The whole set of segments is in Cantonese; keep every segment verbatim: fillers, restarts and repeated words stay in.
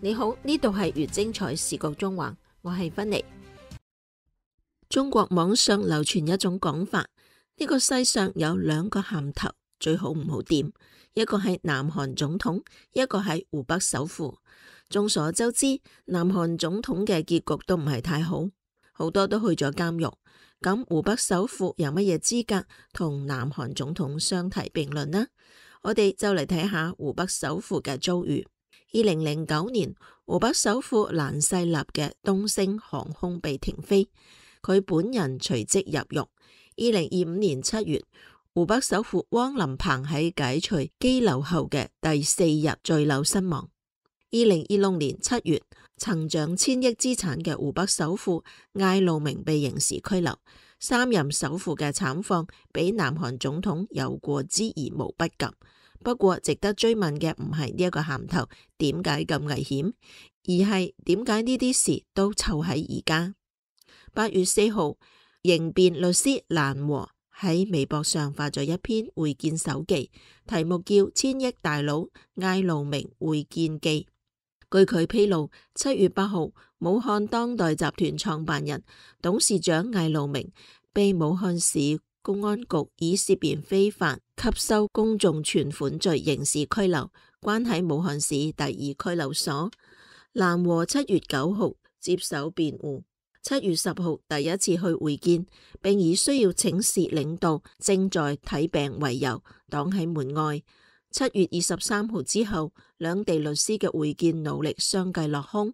你好，呢度係越精彩視覺中環，我係芬妮。中國網上流傳一種講法，呢個世上有兩個銜頭，最好唔好掂，一個係南韓總統，一個係湖北首富。眾所周知，南韓總統嘅結局都唔係太好，好多都去咗監獄。咁湖北首富有乜嘢資格同南韓總統相提並論呢？我哋就嚟睇下湖北首富嘅遭遇。二零零九年，湖北首富蘭世立嘅東星航空被停飛，佢本人隨即入獄。二零二五年七月，湖北首富汪林鵬喺解除羈留後嘅第四日墜樓身亡。二零二六年七月，曾掌千億資產嘅湖北首富艾路明被刑事拘留。三任首富嘅慘況比南韓總統有過之而無不及。不過值得追問嘅唔係呢一個銜頭點解咁危險，而係點解呢啲事都湊喺而家。八月四號，刑辯律師蘭和喺微博上發咗一篇會見手記，題目叫《千億大佬艾路明會見記》。據佢披露，七月八號，武漢當代集團創辦人、董事長艾路明被武漢市公安局以涉嫌非法吸收公眾存款罪刑事拘留，關喺武漢市第二拘留所。蘭和七月九號接受辯護，七月十號第一次去會見，並以需要請示領導正在睇病為由擋喺門外。七月二十三號之後，兩地律師嘅會見努力相繼落空。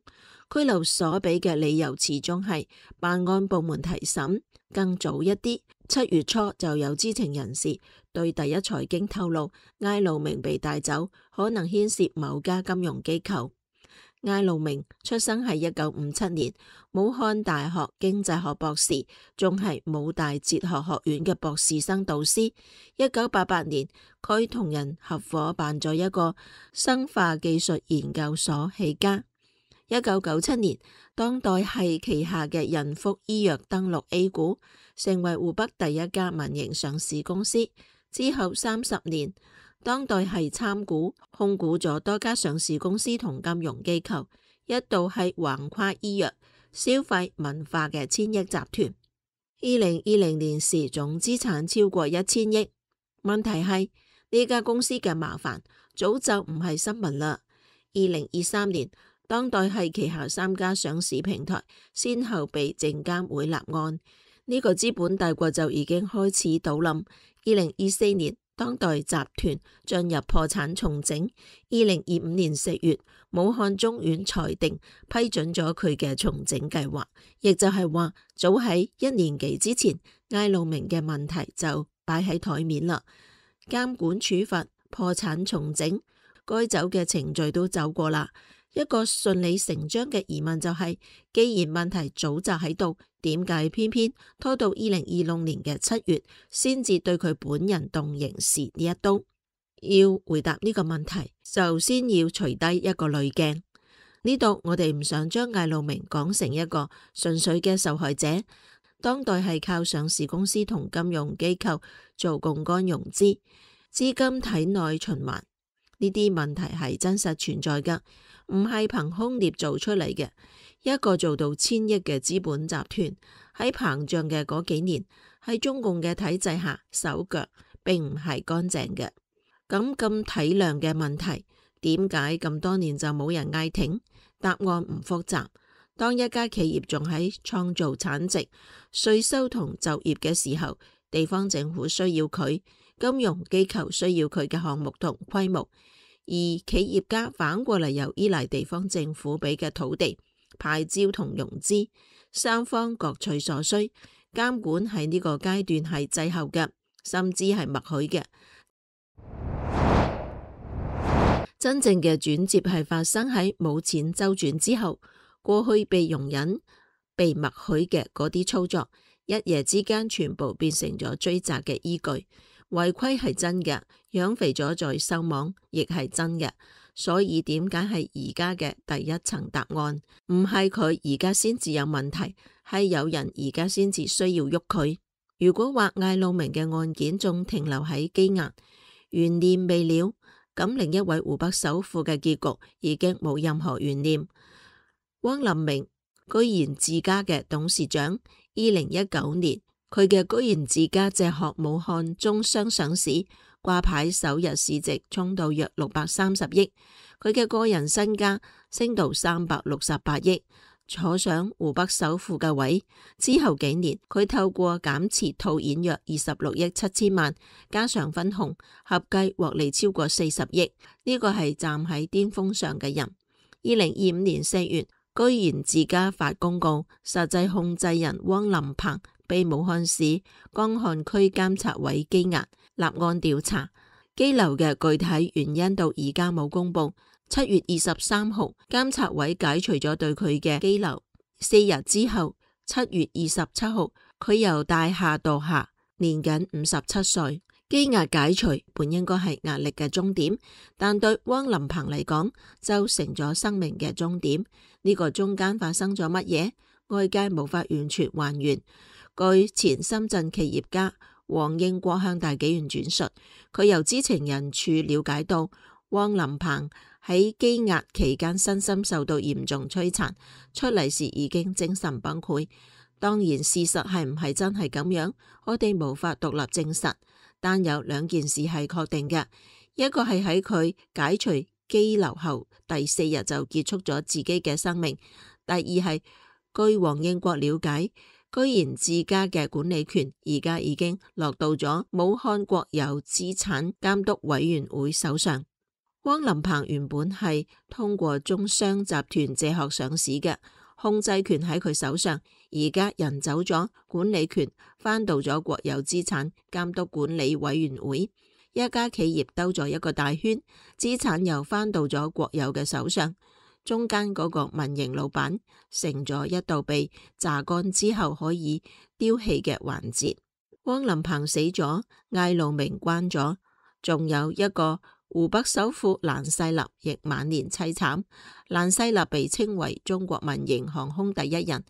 拘留所俾嘅理由始終係辦案部門提審。更早一啲，七月初就有知情人士對第一財經透露，艾路明被帶走可能牽涉某家金融機構。艾路明出生喺一九五七年，武漢大學經濟學博士，仲係武大哲學學院嘅博士生導師。一九八八年，佢同人合夥辦咗一個生化技術研究所起家。一九九七年，當代系旗下嘅仁福醫藥登陸 A 股，成為湖北第一家民營上市公司。之後三十年，當代系參股控股咗多家上市公司同金融機構，一度係橫跨醫藥、消費、文化嘅千億集團。二零二零年時總資產超過一千億。問題係呢家公司嘅麻煩早就唔係新聞啦。二零二三年，當代系旗下三家上市平台先後被證監會立案，呢個資本大國就已經開始倒冧。二零二四年，當代集團進入破產重整。二零二五年四月，武漢中院裁定批准咗佢嘅重整計劃，亦就係話早喺一年幾之前，艾路明嘅問題就擺喺台面啦。監管處罰、破產重整，該走嘅程序都走過啦。一個順理成章嘅疑問就係，既然問題早就喺度，點解偏偏拖到二零二六年嘅七月先至對佢本人動刑事呢一刀？要回答呢個問題，就先要除低一個濾鏡。呢度我哋唔想將艾路明講成一個純粹嘅受害者。當代係靠上市公司同金融機構做槓桿融資，資金體內循環，呢啲問題係真實存在㗎，唔係憑空捏造出嚟嘅。一個做到千億嘅資本集團喺膨脹嘅嗰幾年，喺中共嘅體制下手腳並唔係乾淨嘅。咁咁體量嘅問題，點解咁多年就冇人嗌停？答案唔複雜。當一家企業仲喺創造產值、稅收同就業嘅時候，地方政府需要佢，金融機構需要佢嘅項目同規模。而企業家反過嚟又依賴地方政府俾嘅土地、牌照同融資，三方各取所需。監管喺呢個階段係滯後嘅，甚至係默許嘅。真正嘅轉折係發生喺冇錢周轉之後，過去被容忍、被默許嘅嗰啲操作，一夜之間全部變成咗追責嘅依據。違規係真嘅，養肥咗再收網亦係真嘅，所以點解係而家嘅第一層答案？唔係佢而家先至有問題，係有人而家先至需要喐佢。如果話艾路明嘅案件仲停留喺羈押，懸念未了，咁另一位湖北首富嘅結局已經冇任何懸念。汪林明居然自家嘅董事長，二零一九年佢嘅居然自家借殼武漢中商上市，掛牌首日市值衝到約六百三十億，佢嘅個人身家升到三百六十八億，坐上湖北首富嘅位。之後幾年，佢透過減持套現約二十六億七千萬，加上分紅，合計獲利超過四十億。呢個係站喺巔峰上嘅人。二零二五年四月，居然自家發公告，實際控制人汪林鵬被武漢市江漢區監察委羈押，立案調查。羈留嘅具體原因到而家冇公布。七月二十三號，監察委解除咗對佢嘅羈留。四日之後，七月二十七號，佢由大廈墮下，年僅五十七歲。羈押解除本應該係壓力嘅終點，但對汪林鵬嚟講就成咗生命嘅終點。呢、這個中間發生咗乜嘢？外界無法完全還原。據前深圳企業家黃應國向大紀元轉述，佢由知情人處了解到，汪林鵬喺羈押期間身心受到嚴重摧殘，出嚟時已經精神崩潰。當然事實係唔係真係咁樣，我哋無法獨立證實。但有兩件事係確定嘅，一個係喺佢解除羈留後第四日就結束咗自己嘅生命；第二係據黃應國了解，居然自家嘅管理權而家已經落到咗武漢國有資產監督委員會手上。汪林鵬原本係通過中商集團借殼上市嘅，控制權喺佢手上，而家人走咗，管理權翻到咗國有資產監督管理委員會，一家企業兜咗一個大圈，資產又翻到咗國有嘅手上，中間嗰個民營老闆成咗一道被榨乾之後可以丟棄嘅環節。汪林鵬死咗，艾路明關咗，仲有一個湖北首富蘭世立亦晚年淒慘。蘭世立被稱為中國民營航空第一人。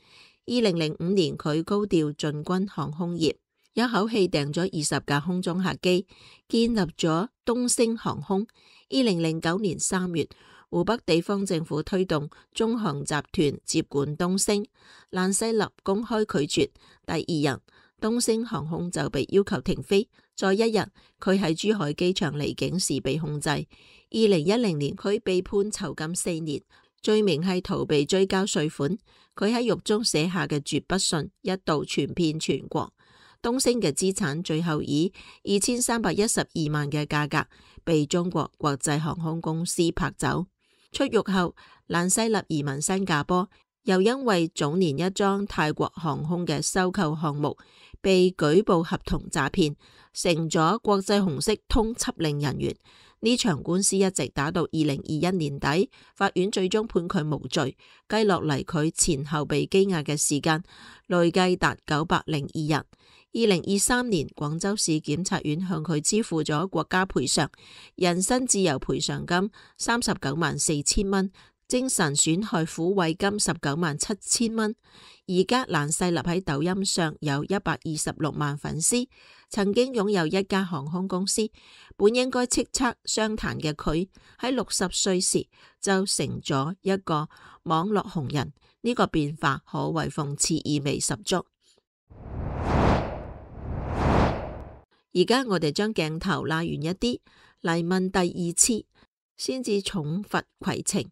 二零零五年佢高調進軍航空業，一口氣訂咗二十架空中客機，建立咗東星航空。二零零九年三月，湖北地方政府推動中航集團接管東星，蘭世立公開拒絕，第二日東星航空就被要求停飛。再一日，佢喺珠海機場離境時被控制。二零一零年，佢被判囚禁四年，罪名係逃避追交稅款。佢喺獄中寫下嘅絕筆信一度傳遍全國。東星嘅資產最後以二千三百一十二萬嘅價格被中國國際航空公司拍走。出獄後，蘭世立移民新加坡，又因為早年一樁泰國航空嘅收購項目被舉報合同詐騙，成咗國際紅色通緝令人員。呢場官司一直打到二零二一年底，法院最終判佢無罪。計落嚟，佢前後被羈押嘅時間累計達九百零二日。二零二三年，廣州市檢察院向佢支付咗國家賠償人身自由賠償金三十九萬四千蚊，精神損害撫慰金十九萬七千蚊。而家蘭世立喺抖音上有一百二十六萬粉絲，曾經擁有一家航空公司，本應該叱咤商壇嘅佢，喺六十歲時就成咗一個網絡紅人。呢、這個變化可謂諷刺意味十足。而家我哋將鏡頭拉遠一啲嚟問第二次，先至重罰攜程。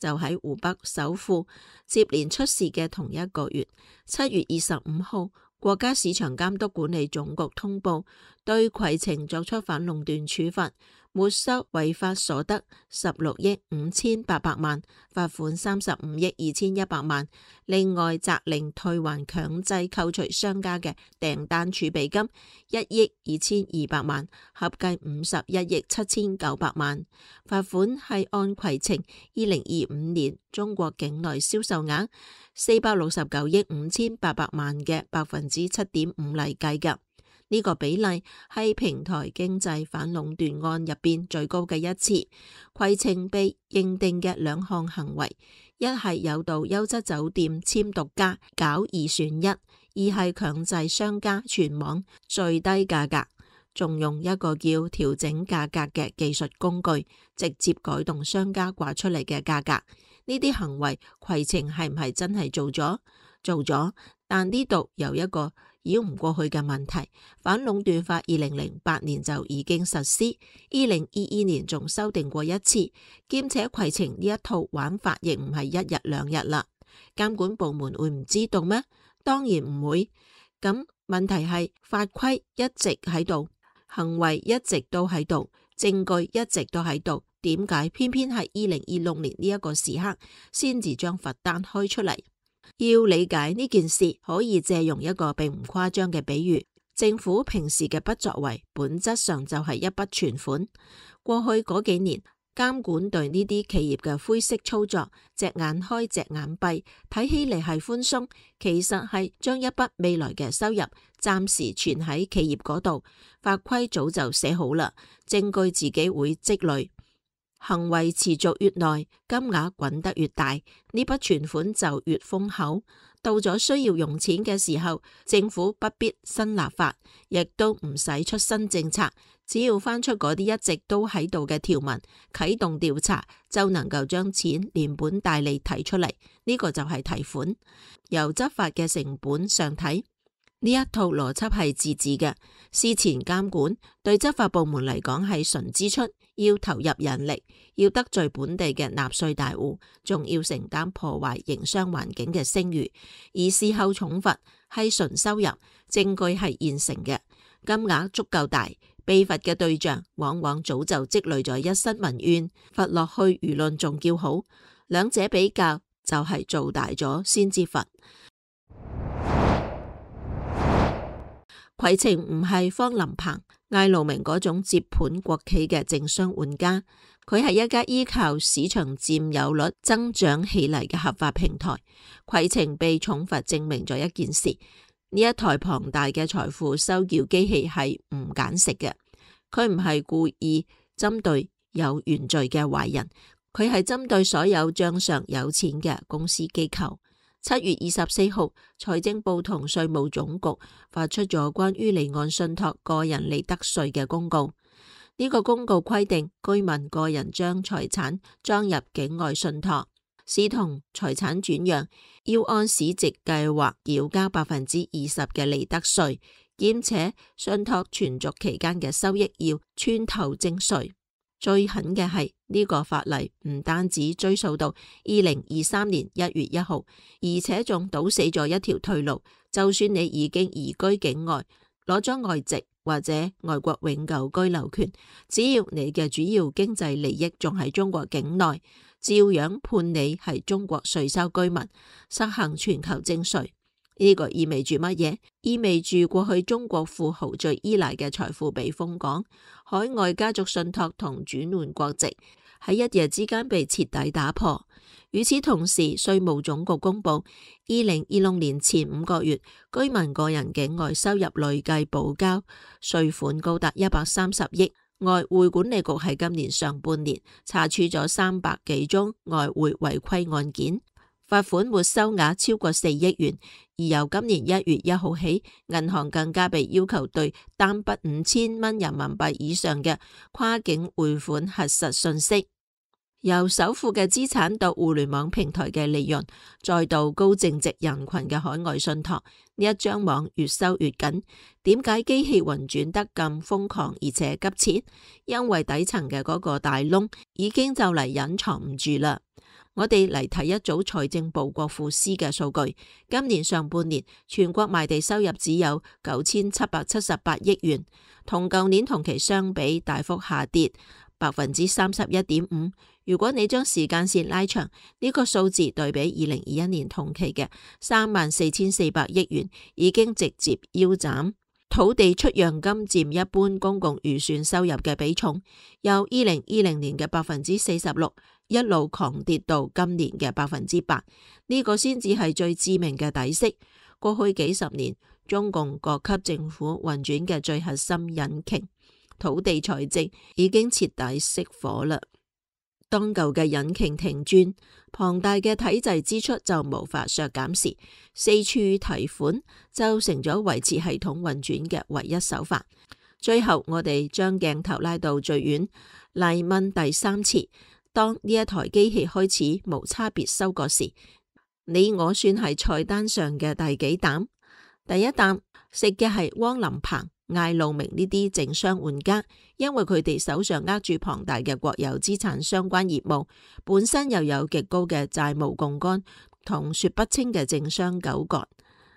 就喺湖北首富接連出事嘅同一個月，七月二十五號，國家市場監督管理總局通報對攜程作出反壟斷處罰，沒收違法所得十六億五千八百萬，罰款三十五億二千一百萬。另外責令退還強制扣除商家嘅訂單儲備金一億二千二百萬，合計五十一億七千九百萬。罰款係按攜程二零二五年中國境內銷售額四百六十九億五千八百萬嘅百分之七點五嚟計㗎。呢個比例係平台經濟反壟斷案入邊最高嘅一次。攜程被認定嘅兩項行為，一係誘導優質酒店簽獨家搞二選一，二係強制商家全網最低價格。仲用一個叫調整價格嘅技術工具，直接改動商家掛出嚟嘅價格。呢啲行為攜程係唔係真係做咗？做咗，但呢度有一個繞唔過去嘅問題。反壟斷法二零零八年就已經實施，二零二二年仲修訂過一次，兼且攜程呢一套玩法亦唔係一日兩日啦。監管部門會唔知道咩？當然唔會。咁問題係法規一直喺度，行為一直都喺度，證據一直都喺度，點解偏偏係二零二六年呢一個時刻先至將罰單開出嚟？要理解呢件事，可以借用一個並唔誇張嘅比喻，政府平時嘅不作為，本質上就係一筆存款。過去嗰幾年，監管對呢啲企業嘅灰色操作，隻眼開隻眼閉，睇起嚟係寬鬆，其實係將一筆未來嘅收入暫時存喺企業嗰度。法規早就寫好啦，證據自己會積累。行為持續越耐，金額滾得越大，呢筆存款就越豐厚。到咗需要用錢嘅時候，政府不必新立法，亦都唔使出新政策，只要翻出嗰啲一直都喺度嘅條文，啟動調查，就能夠將錢連本帶利提出嚟。呢個就係提款。由執法嘅成本上睇，呢一套邏輯係自治嘅。事前監管對執法部門嚟講係純支出，要投入人力，要得罪本地嘅納稅大戶，仲要承擔破壞營商環境嘅聲譽。而事後重罰係純收入，證據係現成嘅，金額足夠大，被罰嘅對象往往早就積累咗一身民怨，罰落去輿論仲叫好。兩者比較就係做大咗先至罰。攜程唔係方林鵬、艾路明嗰種接盤國企嘅政商玩家，佢係一家依靠市場佔有率增長起嚟嘅合法平台。攜程被重罰證明咗一件事：呢一台龐大嘅財富收繳機器係唔揀食嘅，佢唔係故意針對有原罪嘅壞人，佢係針對所有賬上有錢嘅公司機構。七月二十四號，財政部同稅務總局發出咗關於離岸信託個人利得稅嘅公告。呢個公告規定，居民個人將財產裝入境外信託，視同財產轉讓，要按市值計劃繳交百分之二十嘅利得稅，兼且信託存續期間嘅收益要穿頭徵稅。最狠嘅係呢個法例唔單止追溯到二零二三年一月一號，而且仲堵死咗一條退路。就算你已經移居境外，攞咗外籍或者外國永久居留權，只要你嘅主要經濟利益仲喺中國境內，照樣判你係中國稅收居民，實行全球徵稅。呢個意味住乜嘢？意味住過去中國富豪最依賴嘅財富被封港，海外家族信託同轉換國籍喺一夜之間被徹底打破。與此同時，稅務總局公布，二零二六年前五個月居民個人境外收入累計補交稅款高達一百三十億。外匯管理局喺今年上半年查處咗三百幾宗外匯違規案件，罰款沒收額超過四億元。而由今年一月一號起，銀行更加被要求對單筆五千蚊人民幣以上嘅跨境匯款核實信息。由首富嘅資產到互聯網平台嘅利潤，再到高淨值人群嘅海外信託，呢一張網越收越緊。點解機器運轉得咁瘋狂而且急切？因為底層嘅嗰個大窿已經就嚟隱藏唔住啦。我哋嚟睇一組財政部國庫司嘅數據，今年上半年全國賣地收入只有九千七百七十八億元，同舊年同期相比大幅下跌百分之三十一點五。如果你將時間線拉長，呢個數字對比二零二一年同期嘅三萬四千四百億元，已經直接腰斬。土地出讓金佔一般公共預算收入嘅比重，由二零二零年嘅百分之四十六一路狂跌到今年嘅百分之八，呢個先至係最致命嘅底色。過去幾十年，中共各級政府運轉嘅最核心引擎土地財政已經徹底熄火啦。當舊嘅引擎停轉，龐大嘅體制支出就無法削減時，四處提款就成咗維持系統運轉嘅唯一手法。最後我哋將鏡頭拉到最遠嚟問第三次：當呢一台機器開始無差別收割時，你我算係菜單上嘅第幾擔？第一擔食嘅係汪林鵬、艾路明呢啲政商玩家，因為佢哋手上握住龐大嘅國有資產相關業務，本身又有極高嘅債務槓桿同說不清嘅政商糾葛。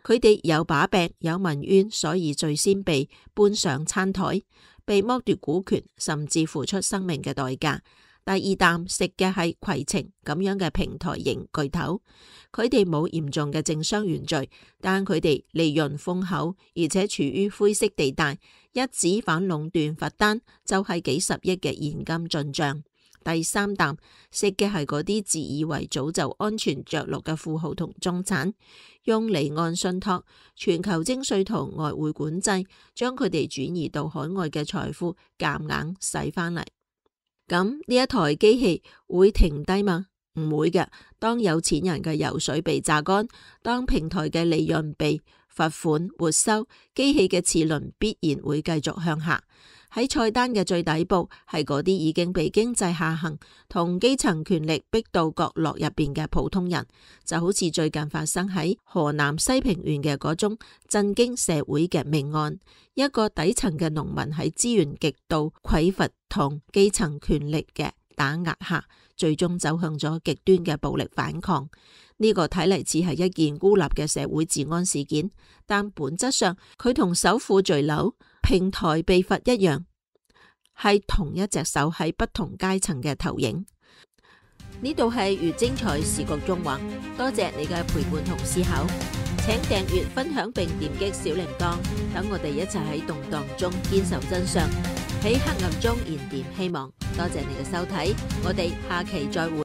佢哋有把柄，有民怨，所以最先被搬上餐台，被剝奪股權，甚至付出生命嘅代價。第二啖食嘅係攜程咁樣嘅平台型巨頭，佢哋冇嚴重嘅政商原罪，但佢哋利潤豐厚，而且處於灰色地帶，一紙反壟斷罰單就係幾十億嘅現金進賬。第三啖食嘅係嗰啲自以為早就安全着陸嘅富豪同中產，用離岸信託、全球徵稅同外匯管制，將佢哋轉移到海外嘅財富夾硬使翻嚟。咁呢一台機器會停低嗎？唔會嘅。當有錢人嘅油水被榨乾，當平台嘅利潤被罰款沒收，機器嘅齒輪必然會繼續向下。喺菜單嘅最底部係嗰啲已經被經濟下行同基層權力逼到角落入邊嘅普通人，就好似最近發生喺河南西平縣嘅嗰宗震驚社會嘅命案。一個底層嘅農民喺資源極度匱乏同基層權力嘅打壓下，最終走向咗極端嘅暴力反抗。呢個睇嚟似係一件孤立嘅社會治安事件，但本質上佢同首富墜樓、平台被罰一樣，係同一隻手喺不同階層嘅投影。呢度係越精彩視覺縱橫，多謝你嘅陪伴同思考，請訂閱、分享並點擊小鈴鐺，等我哋一齊喺動盪中堅守真相，喺黑暗中燃點希望。多謝你嘅收睇，我哋下期再會。